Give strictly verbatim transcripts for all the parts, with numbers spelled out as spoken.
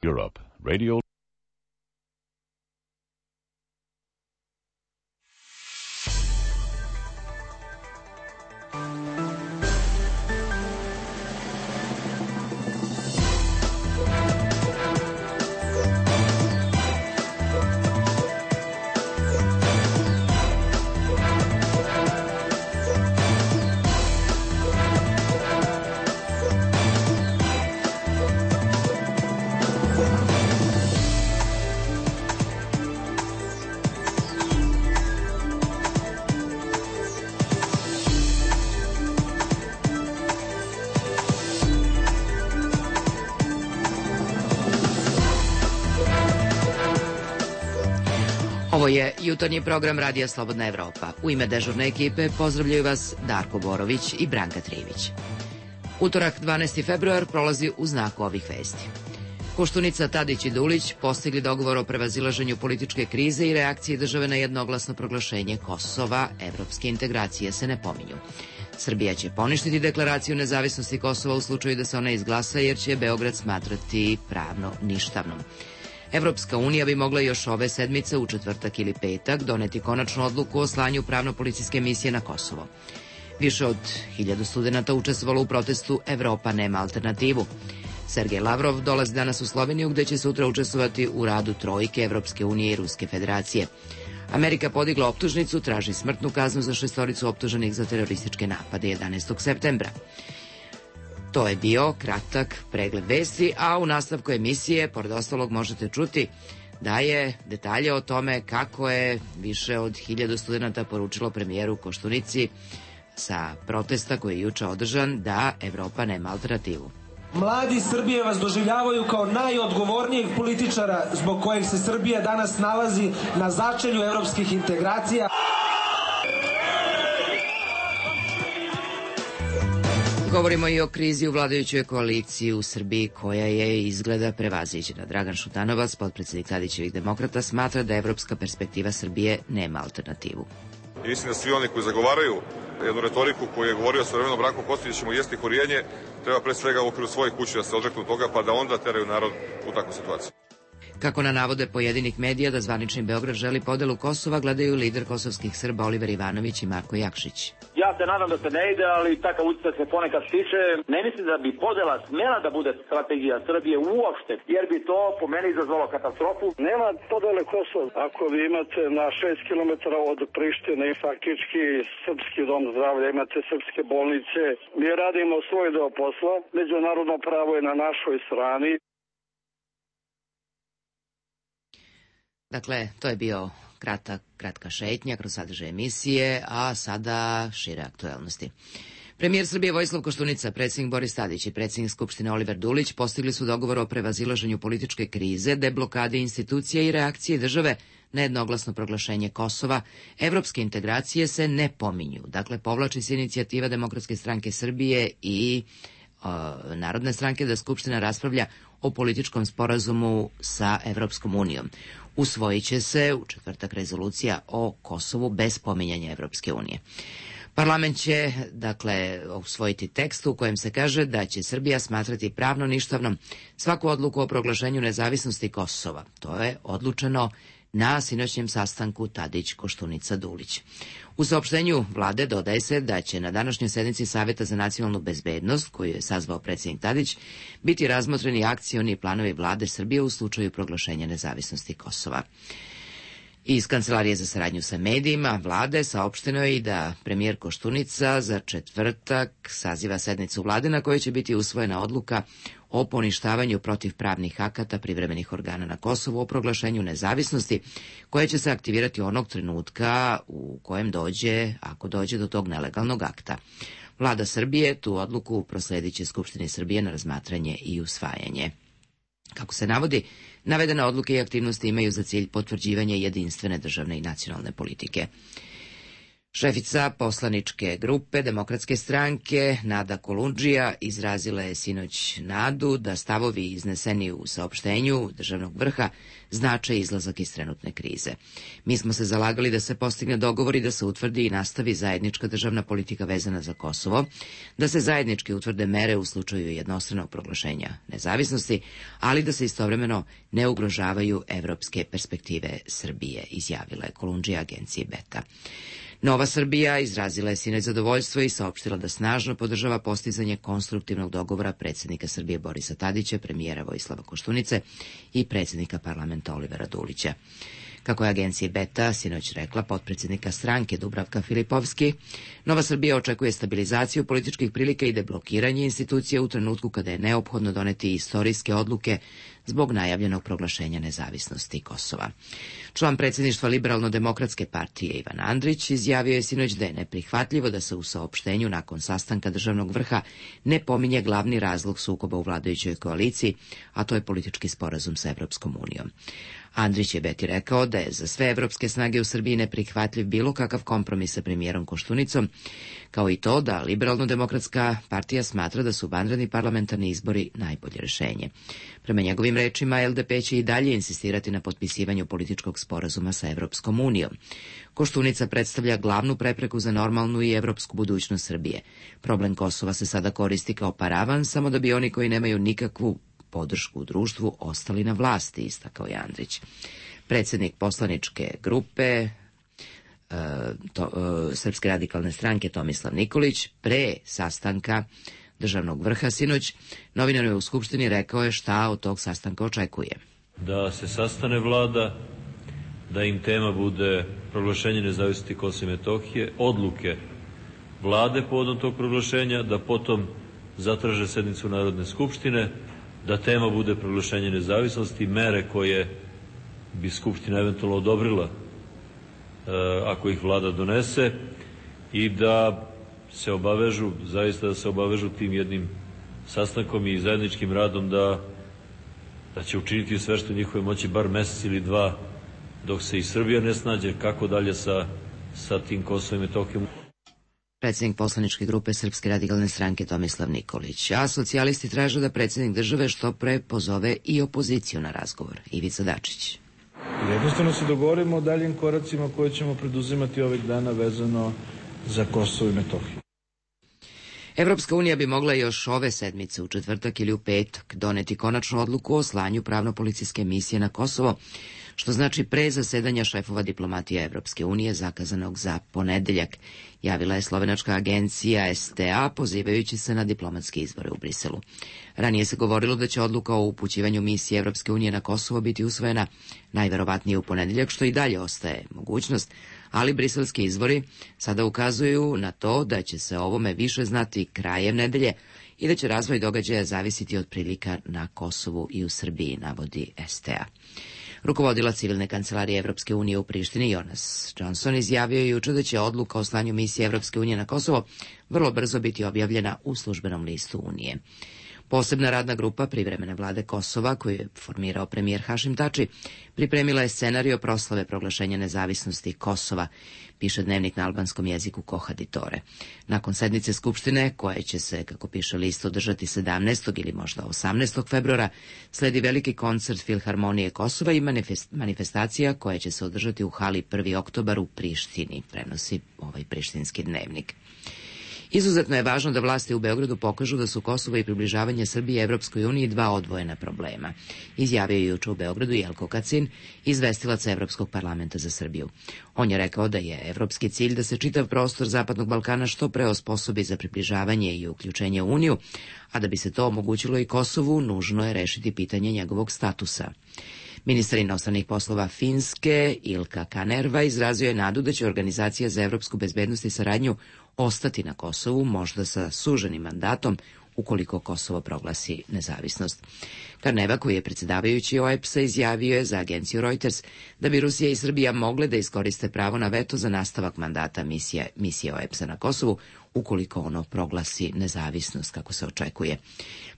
Europe, Radio Ovo je jutarnji program Radija Slobodna Evropa. U ime dežurne ekipe pozdravljaju vas Darko Borović i Branka Trivić. Utorak dvanaesti februar prolazi u znaku ovih vesti. Koštunica, Tadić i Dulić postigli dogovor o prevazilaženju političke krize i reakcije države na jednoglasno proglašenje Kosova. Evropske integracije se ne pominju. Srbija će poništiti deklaraciju nezavisnosti Kosova u slučaju da se ona izglasa, jer će Beograd smatrati pravno ništavnom. Evropska unija bi mogla još ove sedmice, u četvrtak ili petak, doneti konačnu odluku o slanju pravno-policijske misije na Kosovo. Više od hiljadu studenta učestvovalo u protestu Evropa nema alternativu. Sergej Lavrov dolazi danas u Sloveniju, gde će sutra učestvovati u radu trojke Evropske unije i Ruske federacije. Amerika podigla optužnicu, traži smrtnu kaznu za šestoricu optuženih za terorističke napade jedanaestog septembra. To je bio kratak pregled vesti, a u nastavku emisije, pored ostalog, možete čuti da je detalje o tome kako je više od hiljadu studenta poručilo premijeru Koštunici sa protesta koji je juče održan da Evropa nema alternativu. Mladi Srbije vas doživljavaju kao najodgovornijeg političara zbog kojeg se Srbija danas nalazi na začelju evropskih integracija. Govorimo i o krizi u vladajućoj koaliciji u Srbiji, koja je izgleda prevaziđena. Dragan Šutanovac, potpredsednik Tadićevih demokrata, smatra da evropska perspektiva Srbije nema alternativu. I mislim da svi oni koji zagovaraju jednu retoriku koju je govorio svojevremeno Branko Kostić, da ćemo jesti korijenje, treba pre svega u okviru svojih kući da se odreknu toga, pa da onda teraju narod u takvu situaciju. Kako na navode pojedinih medija da zvanični Beograd želi podelu Kosova, gledaju lider kosovskih Srba Oliver Ivanović i Marko Jakšić. Ja se nadam da se ne ide, ali takav utisak se ponekad stiče. Ne mislim da bi podela smela da bude strategija Srbije uopšte, jer bi to po meni izazvalo katastrofu. Nema podele Kosova. Ako vi imate na šest kilometara od Prištine i faktički srpski dom zdravlja, imate srpske bolnice, mi radimo svoj deo posla, međunarodno pravo je na našoj strani. Dakle, to je bio kratak, kratka šetnja kroz sadržaj emisije, a sada šire aktuelnosti. Premijer Srbije Vojislav Koštunica, predsjednik Boris Tadić i predsjednik Skupštine Oliver Dulić postigli su dogovor o prevazilaženju političke krize, deblokade institucija i reakcije države na jednoglasno proglašenje Kosova. Evropske integracije se ne pominju. Dakle, povlači se inicijativa Demokratske stranke Srbije i o, Narodne stranke da Skupština raspravlja o političkom sporazumu sa Evropskom unijom. Usvojit će se u četvrtak rezolucija o Kosovu bez pominjanja Evropske unije. Parlament će, dakle, usvojiti tekst u kojem se kaže da će Srbija smatrati pravno ništavnom svaku odluku o proglašenju nezavisnosti Kosova. To je odlučeno na sinoćnjem sastanku Tadić-Koštunica-Dulić. U saopštenju vlade dodaje se da će na današnjoj sednici Saveta za nacionalnu bezbednost, koju je sazvao predsjednik Tadić, biti razmotreni akcioni planovi vlade Srbije u slučaju proglašenja nezavisnosti Kosova. Iz Kancelarije za saradnju sa medijima vlade saopšteno je i da premijer Koštunica za četvrtak saziva sednicu vlade na kojoj će biti usvojena odluka o poništavanju protivpravnih akata privremenih organa na Kosovu o proglašenju nezavisnosti, koja će se aktivirati onog trenutka u kojem dođe, ako dođe do tog nelegalnog akta. Vlada Srbije tu odluku prosledit će Skupštini Srbije na razmatranje i usvajanje. Kako se navodi, navedene odluke i aktivnosti imaju za cilj potvrđivanje jedinstvene državne i nacionalne politike. Šefica poslaničke grupe Demokratske stranke Nada Kolundžija izrazila je sinoć nadu da stavovi izneseni u saopštenju državnog vrha znače izlazak iz trenutne krize. Mi smo se zalagali da se postigne dogovor i da se utvrdi i nastavi zajednička državna politika vezana za Kosovo, da se zajednički utvrde mere u slučaju jednostranog proglašenja nezavisnosti, ali da se istovremeno ne ugrožavaju evropske perspektive Srbije, izjavila je Kolundžija agenciji Beta. Nova Srbija izrazila je sinoć zadovoljstvo i saopštila da snažno podržava postizanje konstruktivnog dogovora predsjednika Srbije Borisa Tadića, premijera Vojislava Koštunice i predsjednika parlamenta Olivera Dulića. Kako je agenciji Beta sinoć rekla potpredsjednika stranke Dubravka Filipovski, Nova Srbija očekuje stabilizaciju političkih prilika i deblokiranje institucija u trenutku kada je neophodno doneti istorijske odluke zbog najavljenog proglašenja nezavisnosti Kosova. Član predsjedništva Liberalno-demokratske partije Ivan Andrić izjavio je sinoć da je neprihvatljivo da se u saopštenju nakon sastanka državnog vrha ne pominje glavni razlog sukoba u vladajućoj koaliciji, a to je politički sporazum sa Evropskom unijom. Andrić je Beti rekao da je za sve evropske snage u Srbiji neprihvatljiv bilo kakav kompromis sa premijerom Koštunicom, kao i to da Liberalno-demokratska partija smatra da su vanredni parlamentarni izbori najbolje rešenje. Prema njegovim rečima, L D P će i dalje insistirati na potpisivanju političkog sporazuma sa Evropskom unijom. Koštunica predstavlja glavnu prepreku za normalnu i evropsku budućnost Srbije. Problem Kosova se sada koristi kao paravan, samo da bi oni koji nemaju nikakvu podršku u društvu ostali na vlasti, istakao je Andrić. Predsjednik poslaničke grupe e, to, e, Srpske radikalne stranke Tomislav Nikolić pre sastanka državnog vrha sinoć novinarima u Skupštini rekao je šta od tog sastanka očekuje. Da se sastane vlada, da im tema bude proglašenje nezavisnosti Kosova i Metohije, odluke vlade povodom tog proglašenja, da potom zatraže sednicu Narodne skupštine, da tema bude proglašenje nezavisnosti, mere koje bi Skupština eventualno odobrila e, ako ih vlada donese, i da se obavežu, zaista da se obavežu tim jednim sastankom i zajedničkim radom da, da će učiniti sve što njihove moći bar mesec ili dva dok se i Srbija ne snađe kako dalje sa, sa tim Kosovom i Metohijom. Predsjednik poslaničke grupe Srpske radikalne stranke Tomislav Nikolić, a socijalisti traže da predsjednik države što pre pozove i opoziciju na razgovor. Ivica Dačić. Jednostavno se dogovorimo o daljim koracima koje ćemo preduzimati ovih dana vezano za Kosovo i Metohiju. Evropska unija bi mogla još ove sedmice u četvrtak ili u petak doneti konačnu odluku o slanju pravno-policijske misije na Kosovo, što znači pre zasedanja šefova diplomatije Evropske unije zakazanog za ponedeljak, javila je slovenačka agencija S T A pozivajući se na diplomatske izbore u Briselu. Ranije se govorilo da će odluka o upućivanju misije Evropske unije na Kosovo biti usvojena najverovatnije u ponedeljak, što i dalje ostaje mogućnost, ali briselski izbori sada ukazuju na to da će se o ovome više znati krajem nedelje i da će razvoj događaja zavisiti od prilika na Kosovu i u Srbiji, navodi S T A. Rukovodila civilne kancelarije Evropske unije u Prištini Jonas Johnson izjavio je juče da će odluka o slanju misije Evropske unije na Kosovo vrlo brzo biti objavljena u službenom listu Unije. Posebna radna grupa privremene vlade Kosova, koju je formirao premijer Hašim Tači, pripremila je scenario proslave proglašenja nezavisnosti Kosova, piše dnevnik na albanskom jeziku Kohaditore. Nakon sednice Skupštine, koja će se, kako piše list, održati sedamnaestog ili možda osamnaestog februara, sledi veliki koncert Filharmonije Kosova i manifestacija koja će se održati u hali prvi oktobar u Prištini, prenosi ovaj prištinski dnevnik. Izuzetno je važno da vlasti u Beogradu pokažu da su Kosovo i približavanje Srbije Evropskoj uniji dva odvojena problema, izjavio je juče u Beogradu Jelko Kacin, izvestilac Evropskog parlamenta za Srbiju. On je rekao da je evropski cilj da se čitav prostor Zapadnog Balkana što pre osposobi za približavanje i uključenje u Uniju, a da bi se to omogućilo i Kosovu, nužno je rešiti pitanje njegovog statusa. Ministar inostranih poslova Finske Ilka Kanerva izrazio je nadu da će Organizacija za evropsku bezbednost i saradnju ostati na Kosovu, možda sa suženim mandatom, ukoliko Kosovo proglasi nezavisnost. Karneva, koji je predsjedavajući O E P S-a, izjavio je za agenciju Reuters da bi Rusija i Srbija mogle da iskoriste pravo na veto za nastavak mandata misije, misije O E P S-a na Kosovu, ukoliko ono proglasi nezavisnost kako se očekuje.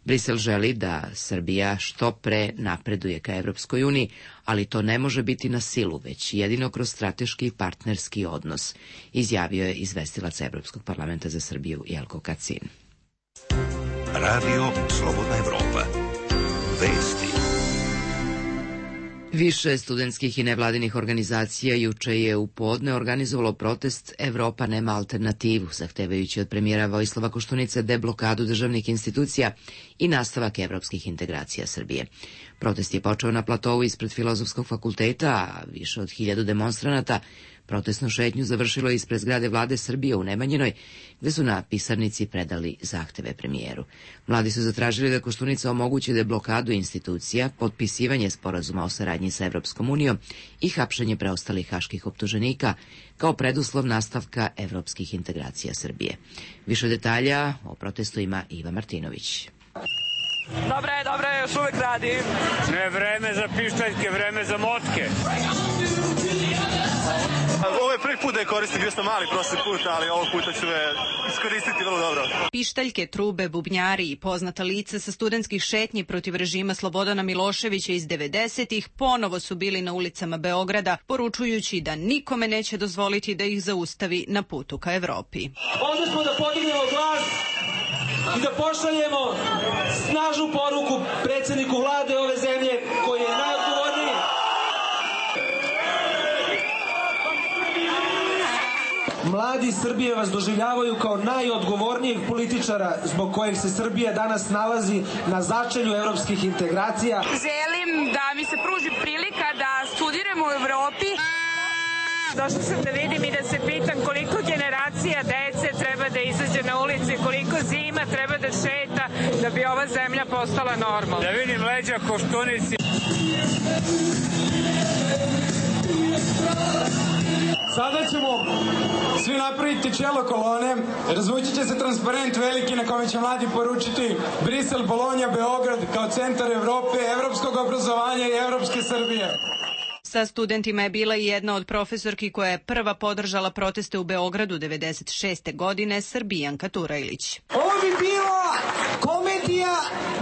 Brisel želi da Srbija što pre napreduje ka Evropskoj uniji, ali to ne može biti na silu, već jedino kroz strateški i partnerski odnos, izjavio je izvestilac Evropskog parlamenta za Srbiju Jelko Kacin. Radio Slobodna Evropa. Vesti. Više studentskih i nevladinih organizacija juče je u podne organizovalo protest Evropa nema alternativu, zahtevajući od premijera Vojislava Koštunice deblokadu državnih institucija i nastavak evropskih integracija Srbije. Protest je počeo na platovu ispred Filozofskog fakulteta, a više od hiljadu demonstranata protestnu šetnju završilo je ispred zgrade vlade Srbije u Nemanjinoj, gde su na pisarnici predali zahteve premijeru. Mladi su zatražili da Koštunica omogući deblokadu institucija, potpisivanje sporazuma o saradnji sa Evropskom unijom i hapšenje preostalih haških optuženika kao preduslov nastavka evropskih integracija Srbije. Više detalja o protestu ima Iva Martinović. Dobre je, dobre je, još uvek radi. Ne vreme za pištaljke, vreme za motke. Ovo je prvi put da je koristim, bio sam mali prošli put, ali ovog puta ću je iskoristiti vrlo dobro. Pištaljke, trube, bubnjari i poznata lica sa studentskih šetnji protiv režima Slobodana Miloševića iz devedesetih ponovo su bili na ulicama Beograda, poručujući da nikome neće dozvoliti da ih zaustavi na putu ka Evropi. Ovde smo da podignemo glas i da pošaljemo snažnu poruku predsjedniku vlade ove zemlje koji je najodgovorniji. Mladi Srbije vas doživljavaju kao najodgovornijeg političara zbog kojeg se Srbija danas nalazi na začelju evropskih integracija. Želim da mi se pruži prilika da studiram u Evropi. Došla sam da vidim i da se pitam koliko generacija dece treba da izađe na ulici, koliko zima treba da šeta da bi ova zemlja postala normalna. Da vidim leđa Koštunici. Sada ćemo svi napraviti čelo kolone, razvući će se transparent veliki na kome će mladi poručiti Brisel, Bolonja, Beograd kao centar Evrope, evropskog obrazovanja i evropske Srbije. Sa studentima je bila i jedna od profesorki koja je prva podržala proteste u Beogradu devedeset šeste godine, Srbijanka Turajlić. Ovo bi bila komedija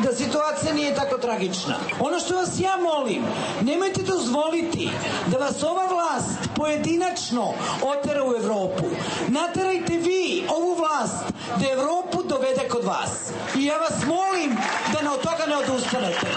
da situacija nije tako tragična. Ono što vas ja molim, nemojte dozvoliti da vas ova vlast pojedinačno otera u Evropu. Naterajte vi ovu vlast da Evropu dovede kod vas. I ja vas molim da od toga ne odustanete.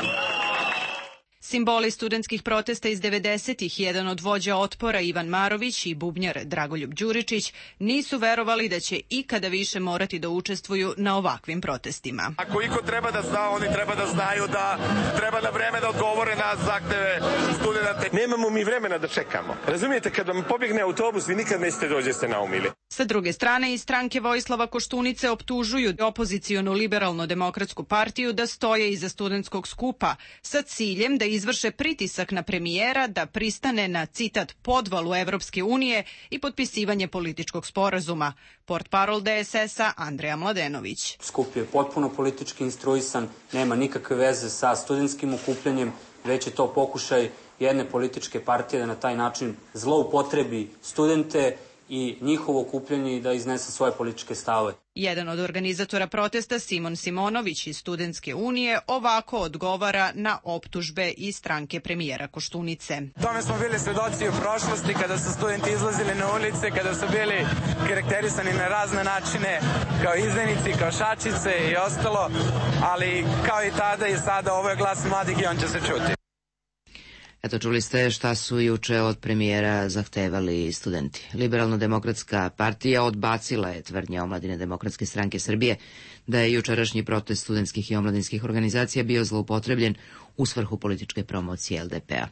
Simboli studentskih protesta iz devedesetih, jedan od vođa otpora Ivan Marović i bubnjar Dragoljub Đuričić, nisu verovali da će ikada više morati da učestvuju na ovakvim protestima. Ako iko treba da zna, oni treba da znaju da treba na vreme da odgovore na zahteve studenta. Nemamo mi vremena da čekamo. Razumijete, kad vam pobjegne autobus, vi nikad nećete dođe se naumili. Sa druge strane, iz stranke Vojislava Koštunice optužuju opozicionu liberalno-demokratsku partiju da stoje iza studentskog skupa sa ciljem da izvrše pritisak na premijera da pristane na, citat, podvalu Evropske unije i potpisivanje političkog sporazuma. Portparol D S S-a Andreja Mladenović. Skup je potpuno politički instruisan, nema nikakve veze sa studentskim okupljanjem, već je to pokušaj jedne političke partije da na taj način zloupotrebi studente i njihovo okupljanje i da iznese svoje političke stavove. Jedan od organizatora protesta, Simon Simonović iz Studentske unije, ovako odgovara na optužbe iz stranke premijera Koštunice. Tome smo bili svedoci u prošlosti kada su studenti izlazili na ulice, kada su bili karakterisani na razne načine kao izdajnici, kao šačice i ostalo, ali kao i tada i sada ovo je glas mladih i on će se čuti. Eto, čuli ste šta su juče od premijera zahtevali studenti. Liberalno-demokratska partija odbacila je tvrdnje Omladine demokratske stranke Srbije da je jučerašnji protest studentskih i omladinskih organizacija bio zloupotrebljen u svrhu političke promocije L D P-a.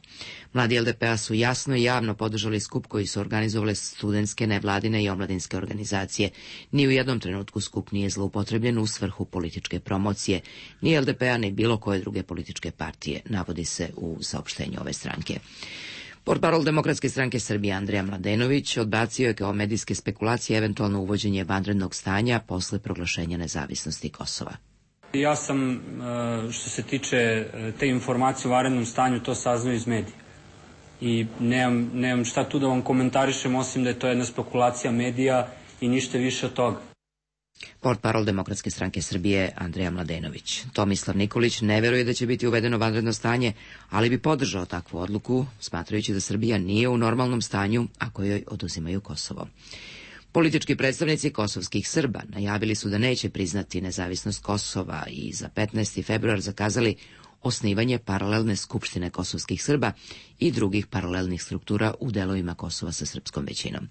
Mladi L D P-a su jasno i javno podržali skup koji su organizovale studentske, nevladine i omladinske organizacije. Ni u jednom trenutku skup nije zloupotrebljen u svrhu političke promocije, ni L D P-a, ni bilo koje druge političke partije, navodi se u saopštenju ove stranke. Portparol Demokratske stranke Srbije Andreja Mladenović odbacio je kao medijske spekulacije eventualno uvođenje vanrednog stanja posle proglašenja nezavisnosti Kosova. Ja sam, što se tiče te informacije o vanrednom stanju, to saznao iz medija. I nemam, nemam šta tu da vam komentarišem, osim da je to jedna spekulacija medija i ništa više od toga. Portparol Demokratske stranke Srbije Andreja Mladenović. Tomislav Nikolić ne veruje da će biti uvedeno vanredno stanje, ali bi podržao takvu odluku, smatrajući da Srbija nije u normalnom stanju ako joj oduzimaju Kosovo. Politički predstavnici kosovskih Srba najavili su da neće priznati nezavisnost Kosova i za petnaesti februar zakazali osnivanje paralelne skupštine kosovskih Srba i drugih paralelnih struktura u delovima Kosova sa srpskom većinom.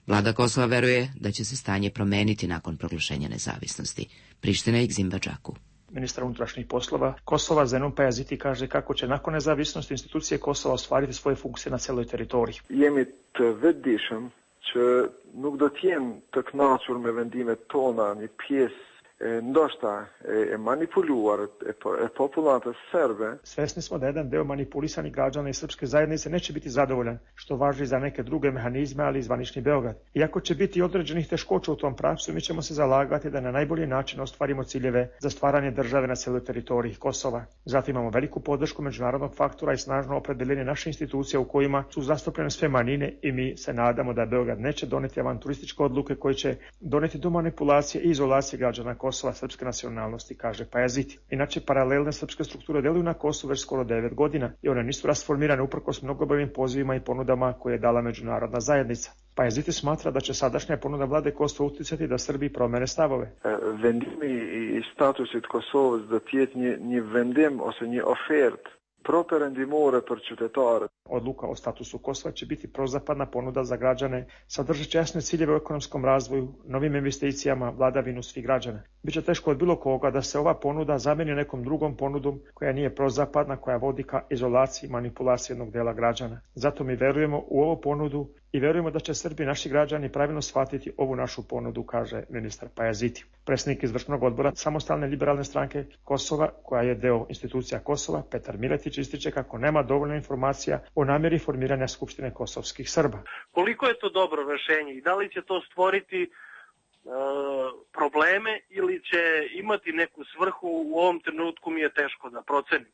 Vlada Kosova veruje da će se stanje promeniti nakon proglašenja nezavisnosti. Priština i Gzimbađaku. Ministar unutrašnjih poslova Kosova Zenon Pajaziti kaže kako će nakon nezavisnosti institucije Kosova ostvariti svoje funkcije na celoj teritoriji. Jemi të vetëdijshëm që nuk do të jenë të kënaqur me vendimet tona, një pjesë ndoshta e manipuluar e populatas Serbe. Svesni smo da jedan deo manipulisanih građana i srpske zajednice neće biti zadovoljan, što važi za neke druge mehanizme, ali i zvanični Beograd. Iako će biti određenih teškoća u tom pravcu, mi ćemo se zalagati da na najbolji način ostvarimo ciljeve za stvaranje države na celoj teritoriji Kosova. Zato imamo veliku podršku međunarodnog faktora i snažno opredeljenje naše institucije u kojima su zastupljene sve manjine i mi se nadamo da Beograd neće doneti avanturističke odluke koje će doneti do manipulacije i izolacije građana Kosova srpske nacionalnosti, kaže Pajaziti. Inače, paralelne srpske strukture deluju na Kosovu već skoro devet godina i one nisu rasformirane uprkos mnogobrojnim pozivima i ponudama koje je dala međunarodna zajednica. Pajaziti smatra da će sadašnja ponuda vlade Kosova uticati da Srbiji promene stavove. Vendimi i statusit Kosovës do të jetë një, një vendim ose një ofertë properendimore për qytetarët. Odluka o statusu Kosova će biti prozapadna ponuda za građane, sadržeći jasne ciljeve u ekonomskom razvoju, novim investicijama, vladavinu svih građana. Biće teško od bilo koga da se ova ponuda zameni nekom drugom ponudom koja nije prozapadna, koja vodi ka izolaciji i manipulaciji jednog dela građana. Zato mi verujemo u ovu ponudu i verujemo da će Srbi i naši građani pravilno shvatiti ovu našu ponudu, kaže ministar Pajaziti. Predsjednik izvršnog odbora Samostalne liberalne stranke Kosova, koja je deo institucija Kosova, Petar Miletić, ističe kako nema dovoljno informacija o namjeri formiranja Skupštine kosovskih Srba. Koliko je to dobro rešenje i da li će to stvoriti e, probleme ili će imati neku svrhu, u ovom trenutku mi je teško da procenim.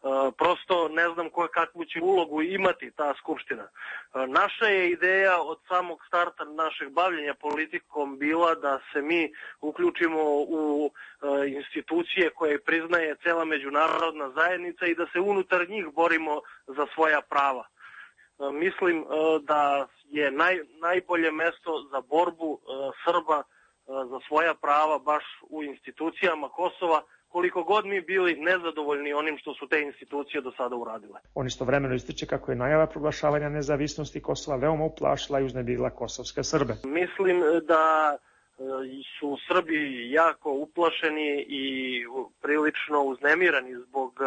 Uh, prosto ne znam ko, kakvu će ulogu imati ta skupština. Uh, naša je ideja od samog starta našeg bavljenja politikom bila da se mi uključimo u uh, institucije koje priznaje cela međunarodna zajednica i da se unutar njih borimo za svoja prava. Uh, mislim uh, da je naj, najbolje mesto za borbu uh, Srba uh, za svoja prava baš u institucijama Kosova, koliko god mi bili nezadovoljni onim što su te institucije do sada uradile. On istovremeno ističe kako je najava proglašavanja nezavisnosti Kosova veoma uplašila i uznemirila kosovske Srbe. Mislim da su Srbi jako uplašeni i prilično uznemirani zbog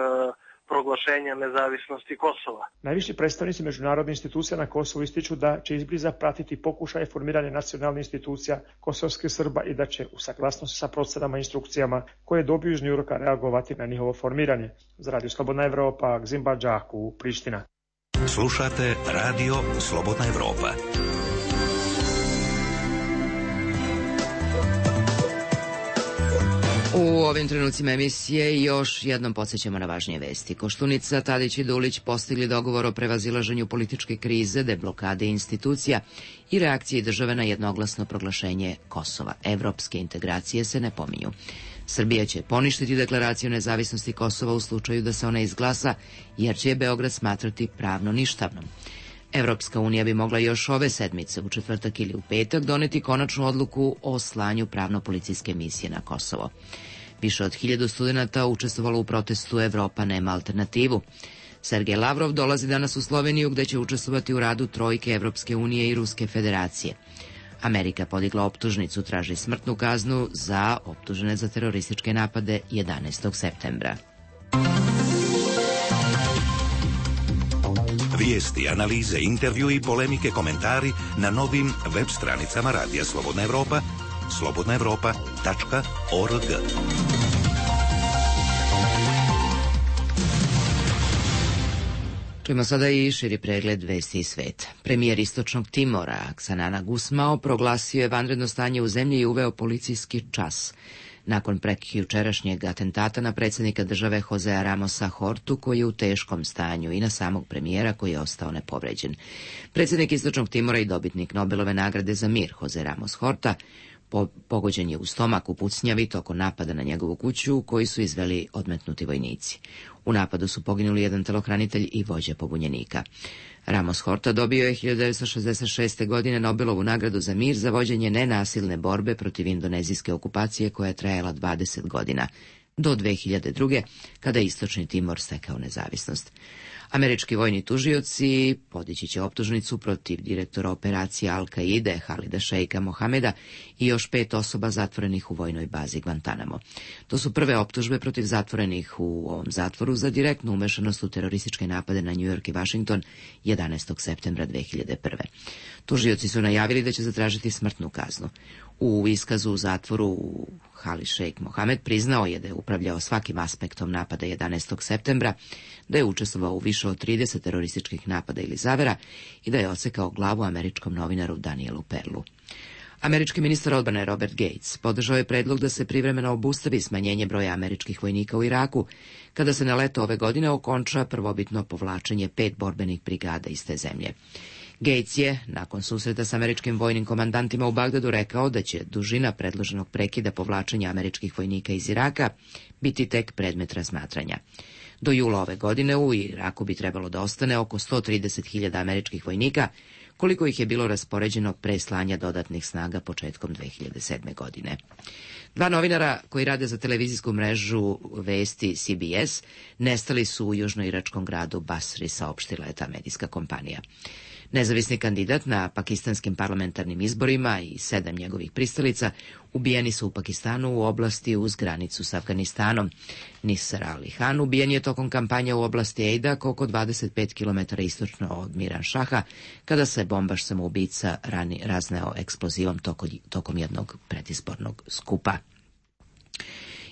proglašenja nezavisnosti Kosova. Najviši predstavnici međunarodnih institucija na Kosovu ističu da će izbliza pratiti pokušaje formiranja nacionalnih institucija kosovskih Srba i da će u saglasnosti sa procenama i instrukcijama koje dobiju iz Njujorka reagovati na njihovo formiranje. Za Radio Slobodna Evropa, Gzimbađaku, Priština. Slušate Radio Slobodna Evropa. U ovim trenucima emisije još jednom podsjećamo na važnije vesti. Koštunica, Tadić i Dulić postigli dogovor o prevazilaženju političke krize, deblokade institucija i reakcije države na jednoglasno proglašenje Kosova. Evropske integracije se ne pominju. Srbija će poništiti deklaraciju nezavisnosti Kosova u slučaju da se ona izglasa, jer će je Beograd smatrati pravno ništavnom. Evropska unija bi mogla još ove sedmice, u četvrtak ili u petak, doneti konačnu odluku o slanju pravno-policijske misije na Kosovo. Više od hiljadu studenta učestvovalo u protestu Evropa nema alternativu. Sergej Lavrov dolazi danas u Sloveniju, gde će učestvovati u radu trojke Evropske unije i Ruske federacije. Amerika podigla optužnicu, traži smrtnu kaznu za optužene za terorističke napade jedanaestog septembra. Vijesti, analize, intervju i polemike, komentari na novim web stranicama Radija Slobodna Evropa, slobodna evropa tačka org. Čujemo sada i širi pregled vesti iz sveta. Premijer Istočnog Timora, Xanana Gusmao, proglasio je vanredno stanje u zemlji i uveo policijski čas nakon prekjučerašnjeg atentata na predsjednika države Josea Ramosa Hortu, koji je u teškom stanju, i na samog premijera koji je ostao nepovređen. Predsjednik Istočnog Timora i dobitnik Nobelove nagrade za mir Jose Ramos Horta Po, pogođen je u stomak u pucnjavi tokom napada na njegovu kuću koju su izveli odmetnuti vojnici. U napadu su poginuli jedan telohranitelj i vođa pobunjenika. Ramos Horta dobio je hiljadu devetsto šezdeset šeste. godine Nobelovu nagradu za mir za vođenje nenasilne borbe protiv indonezijske okupacije koja je trajala dvadeset godina, do dve hiljade druge. kada je Istočni Timor stekao nezavisnost. Američki vojni tužioci podići će optužnicu protiv direktora operacije Al-Kaide Halida Šeika Mohameda i još pet osoba zatvorenih u vojnoj bazi Guantanamo. To su prve optužbe protiv zatvorenih u ovom zatvoru za direktnu umešanost u terorističke napade na New York i Washington jedanaestog septembra dve hiljade prve. Tužioci su najavili da će zatražiti smrtnu kaznu. U iskazu u zatvoru Halid Šeik Mohamed priznao je da je upravljao svakim aspektom napada jedanaestog septembra, da je učestvovao u više od trideset terorističkih napada ili zavera i da je odsekao glavu američkom novinaru Danielu Perlu. Američki ministar odbrane Robert Gates podržao je predlog da se privremeno obustavi smanjenje broja američkih vojnika u Iraku, kada se na leto ove godine okonča prvobitno povlačenje pet borbenih brigada iz te zemlje. Gates je, nakon susreta s američkim vojnim komandantima u Bagdadu, rekao da će dužina predloženog prekida povlačenja američkih vojnika iz Iraka biti tek predmet razmatranja. Do jula ove godine u Iraku bi trebalo da ostane oko sto trideset hiljada američkih vojnika, koliko ih je bilo raspoređeno pre slanja dodatnih snaga početkom dve hiljade sedme. godine. Dva novinara koji rade za televizijsku mrežu vesti C B S nestali su u južnoiračkom gradu Basri, saopštila je ta medijska kompanija. Nezavisni kandidat na pakistanskim parlamentarnim izborima i sedam njegovih pristalica ubijeni su u Pakistanu u oblasti uz granicu s Afganistanom. Nisar Ali Khan ubijen je tokom kampanje u oblasti Ejdak, oko dvadeset pet kilometara istočno od Miran Šaha, kada se bombaš samoubica rani razneo eksplozivom toko, tokom jednog predizbornog skupa.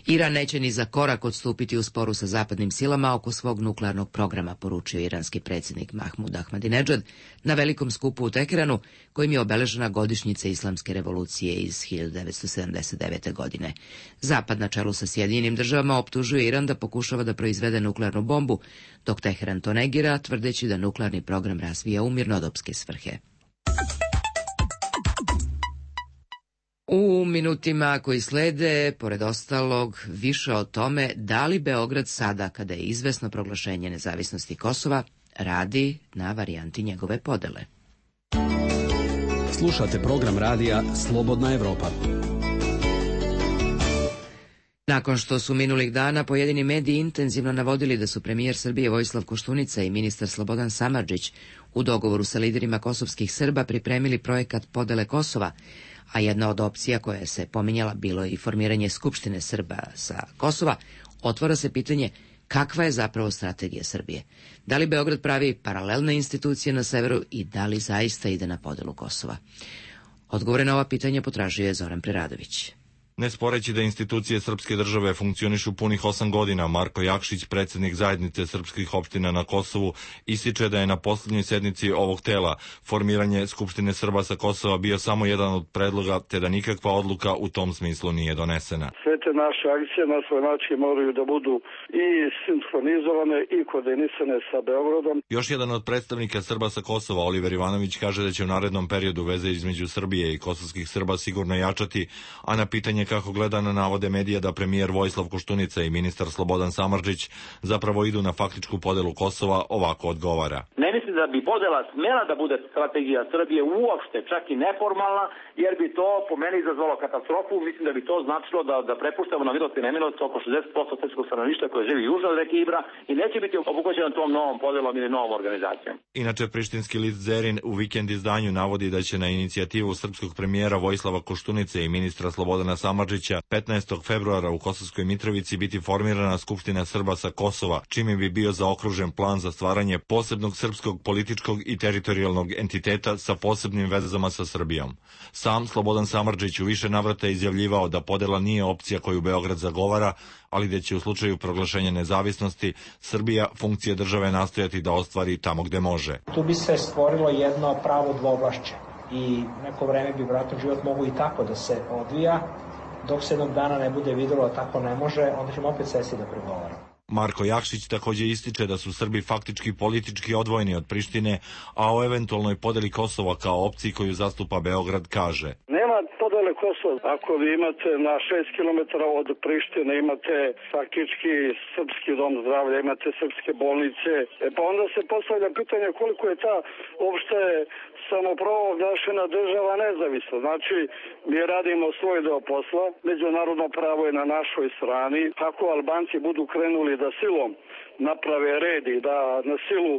Iran neće ni za korak odstupiti u sporu sa zapadnim silama oko svog nuklearnog programa, poručio iranski predsjednik Mahmud Ahmadinedžad na velikom skupu u Teheranu, kojim je obeležena godišnjica islamske revolucije iz hiljadu devetsto sedamdeset devete. godine. Zapad na čelu sa Sjedinjenim državama optužuje Iran da pokušava da proizvede nuklearnu bombu, dok Teheran to negira, tvrdeći da nuklearni program razvija u mirnodopske svrhe. U minutima koji slede, pored ostalog, više o tome da li Beograd sada, kada je izvesno proglašenje nezavisnosti Kosova, radi na varijanti njegove podele. Slušate program radija Slobodna Evropa. Nakon što su minulih dana pojedini mediji intenzivno navodili da su premijer Srbije Vojislav Koštunica i ministar Slobodan Samardžić u dogovoru sa liderima kosovskih Srba pripremili projekat podele Kosova, a jedna od opcija koja se pominjala bilo je i formiranje Skupštine Srba sa Kosova, otvara se pitanje kakva je zapravo strategija Srbije. Da li Beograd pravi paralelne institucije na severu i da li zaista ide na podelu Kosova? Odgovore na ova pitanja potražio je Zoran Preradović. Ne sporeći da institucije srpske države funkcionišu punih osam godina, Marko Jakšić, predsjednik zajednice srpskih opština na Kosovu, ističe da je na posljednjoj sednici ovog tela formiranje Skupštine Srba sa Kosova bio samo jedan od predloga, te da nikakva odluka u tom smislu nije donesena. Sve te naše akcije na svoj način moraju da budu i sinhronizovane i koordinisane sa Beogradom. Još jedan od predstavnika Srba sa Kosova, Oliver Ivanović, kaže da će u narednom periodu veze između Srbije i kosovskih Srba sigurno jačati, a na pitanje kako gleda na navode medija da premijer Vojislav Koštunica i ministar Slobodan Samardžić zapravo idu na faktičku podelu Kosova, ovako odgovara. Ne mislim da bi podela smela da bude strategija Srbije uopšte, čak i neformalna, jer bi to po meni izazvalo katastrofu. Mislim da bi to značilo da, da prepuštamo na milost i nemilost oko šezdeset posto srpskog stanovništva koje živi južno od reke Ibra i neće biti obuhvaćeno tom novom podelom ili novom organizacijom. Inače, prištinski list Zerin u vikend izdanju navodi da će na inicijativu srpskog premijera Vojislava Koštunice i ministra Slobodana Samardžića petnaestog februara u Kosovskoj Mitrovici biti formirana Skupština Srba sa Kosova, čime bi bio zaokružen plan za stvaranje posebnog srpskog političkog i teritorijalnog entiteta sa posebnim vezama sa Srbijom. Sam Slobodan Samardžić u više navrata izjavljivao da podela nije opcija koju Beograd zagovara, ali da će u slučaju proglašenja nezavisnosti Srbija funkcije države nastojati da ostvari tamo gde može. Tu bi se stvorilo jedno pravo dvovlašće i neko vreme bi vratno život mogu i tako da se odvija. Dok se jednog dana ne bude videlo da tako ne može, onda ćemo opet sesti da pregovaramo. Marko Jakšić također ističe da su Srbi faktički politički odvojeni od Prištine, a o eventualnoj podeli Kosova kao opciji koju zastupa Beograd kaže. Nema to da postojale Kosovo. Ako vi imate na šest kilometara od Prištine, imate faktički srpski dom zdravlja, imate srpske bolnice, e pa onda se postavlja pitanje koliko je ta uopšte samoproglašena država nezavisna. Znači, mi radimo svoj deo posla, međunarodno pravo je na našoj strani. Ako Albanci budu krenuli da silom naprave red i da na silu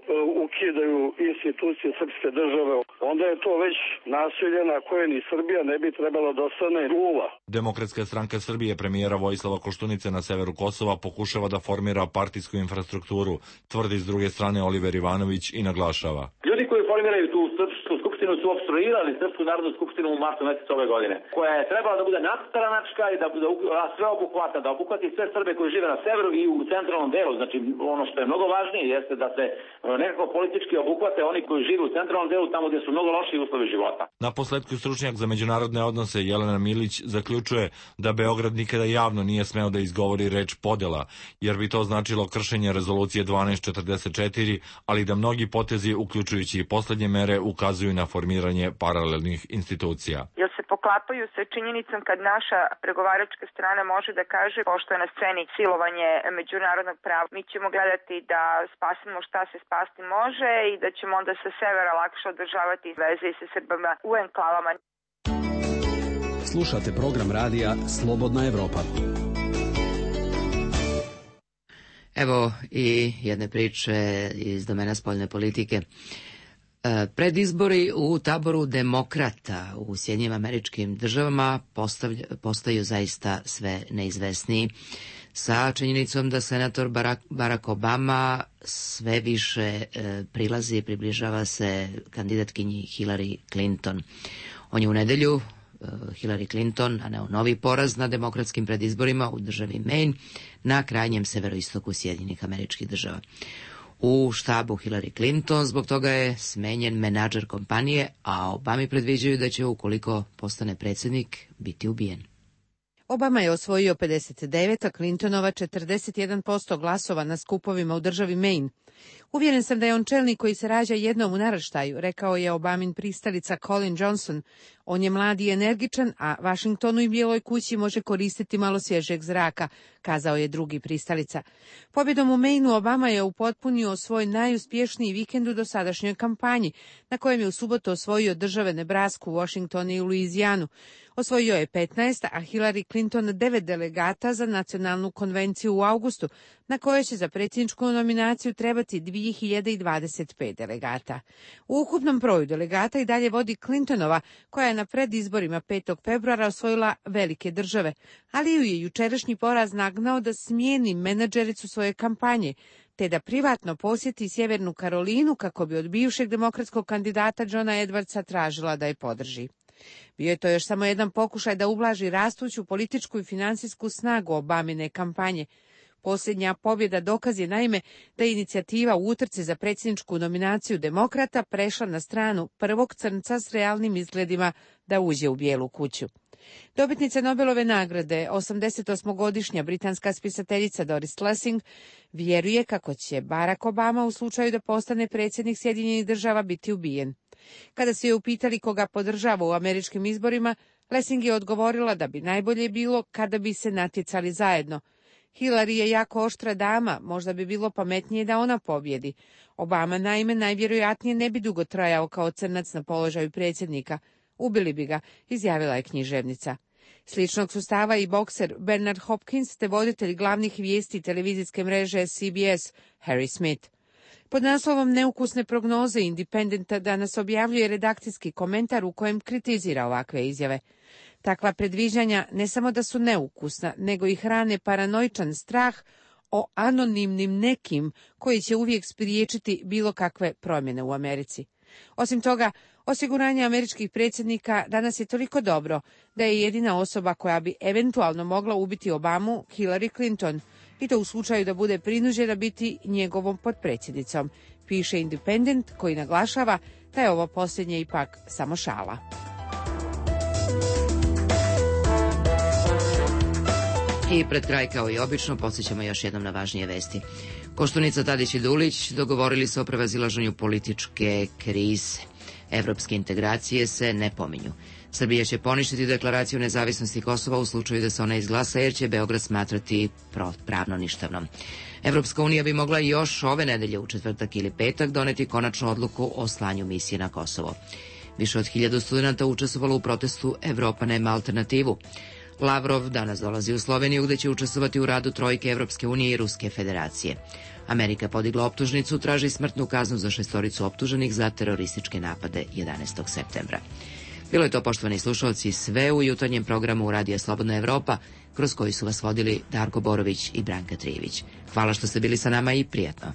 ukidaju institucije srpske države, onda je to već nasilje na koje ni Srbija ne bi trebala da ostane uva. Demokratska stranka Srbije premijera Vojislava Koštunice na severu Kosova pokušava da formira partijsku infrastrukturu, tvrdi s druge strane Oliver Ivanović i naglašava. Ljudi koji formiraju tu srpsku skupštinu su opstruirali Srpsku narodnu skupštinu u martu mesecu ove godine, koja je trebala da bude nadstranačka i da bude sve obuhvata, da obuhvati sve Srbe koji žive na severu i u centralnom delu. Znači, ono što je mnogo važnije jeste da se nekako politički obuhvate oni koji žive u centralnom delu, tamo gdje su mnogo lošiji uslovi života. Na posledku stručnjak za međunarodne odnose Jelena Milić zaključuje da Beograd nikada javno nije smeo da izgovori reč podela, jer bi to značilo kršenje rezolucije dvanaest četrdeset četiri, ali da mnogi potezi, uključujući i poslednje mere, ukazuju na formiranje paralelnih institucija. Jer se poklapaju sa činjenicom kad naša pregovaračka strana može da kaže, pošto je na sceni silovanje međunarodnog prava, mi ćemo gledati da spasimo šta se spasti može i da ćemo onda sa severa lakše održavati veze i sa Srbama u enklavama. Slušate program radija Slobodna Evropa. Evo i jedne priče iz domena spoljne politike. Predizbori u taboru demokrata u Sjedinjenim Američkim Državama postaju zaista sve neizvesniji, sa činjenicom da senator Barack Obama sve više prilazi i približava se kandidatkinji Hillary Clinton. On je u nedelju Hillary Clinton naneo novi poraz na demokratskim predizborima u državi Maine na krajnjem severoistoku Sjedinjenih Američkih Država. U štabu Hillary Clinton zbog toga je smenjen menadžer kompanije, a Obami predviđaju da će, ukoliko postane predsjednik, biti ubijen. Obama je osvojio pedeset devet, a Clintonova četrdeset jedan posto glasova na skupovima u državi Maine. Uvjeren sam da je on čelnik koji se rađa jednom u naraštaju, rekao je Obamin pristalica Colin Johnson. On je mlad i energičan, a Vašingtonu i Bijeloj kući može koristiti malo svježeg zraka, kazao je drugi pristalica. Pobjedom u Maineu Obama je upotpunio svoj najuspješniji vikend u dosadašnjoj kampanji, na kojem je u subotu osvojio države Nebrasku, Washington i Luizijanu. Osvojio je petnaest, a Hillary Clinton devet delegata za nacionalnu konvenciju u avgustu, na kojoj će za predsjedničku nominaciju trebati dvije hiljade dvadeset pet delegata. U ukupnom broju delegata i dalje vodi Clintonova, koja je na predizborima petog februara osvojila velike države, ali ju je jučerašnji poraz nagnao da smijeni menadžericu svoje kampanje, te da privatno posjeti Sjevernu Karolinu kako bi od bivšeg demokratskog kandidata Johna Edwardsa tražila da je podrži. Bio je to još samo jedan pokušaj da ublaži rastuću političku i financijsku snagu Obamine kampanje. Posljednja pobjeda dokaz je naime da je inicijativa u utrci za predsjedničku nominaciju demokrata prešla na stranu prvog crnca s realnim izgledima da uđe u Bijelu kuću. Dobitnica Nobelove nagrade, osamdesetosmogodišnja britanska spisateljica Doris Lessing, vjeruje kako će Barack Obama u slučaju da postane predsjednik Sjedinjenih Država biti ubijen. Kada su je upitali koga podržava u američkim izborima, Lessing je odgovorila da bi najbolje bilo kada bi se natjecali zajedno. Hillary je jako oštra dama, možda bi bilo pametnije da ona pobjedi. Obama naime najvjerojatnije ne bi dugo trajao kao crnac na položaju predsjednika. Ubili bi ga, izjavila je književnica. Sličnog su stava i bokser Bernard Hopkins te voditelj glavnih vijesti televizijske mreže C B S Harry Smith. Pod naslovom Neukusne prognoze Independenta danas objavljuje redakcijski komentar u kojem kritizira ovakve izjave. Takva predviđanja ne samo da su neukusna, nego i hrane paranoičan strah o anonimnim nekim koji će uvijek spriječiti bilo kakve promjene u Americi. Osim toga, osiguranje američkih predsjednika danas je toliko dobro da je jedina osoba koja bi eventualno mogla ubiti Obamu Hillary Clinton, i to u slučaju da bude prinuđena biti njegovom potpredsjednicom, piše Independent, koji naglašava da je ovo posljednje ipak samo šala. I pred kraj, kao i obično, podsjećamo još jednom na važnije vesti. Koštunica, Tadić i Dulić dogovorili se o prevazilaženju političke krize. Evropske integracije se ne pominju. Srbija će poništiti deklaraciju nezavisnosti Kosova u slučaju da se ona izglasa, jer će Beograd smatrati pravno ništavnom. Evropska unija bi mogla još ove nedelje u četvrtak ili petak doneti konačnu odluku o slanju misije na Kosovo. Više od hiljadu studenta učestvovalo u protestu Evropa nema alternativu. Lavrov danas dolazi u Sloveniju, gde će učestvovati u radu trojke Evropske unije i Ruske federacije. Amerika je podigla optužnicu, traži smrtnu kaznu za šestoricu optuženih za terorističke napade jedanaestog septembra. Bilo je to, poštovani slušalci, sve u jutarnjem programu Radija Slobodna Evropa, kroz koji su vas vodili Darko Borović i Branka Trijević. Hvala što ste bili sa nama i prijatno.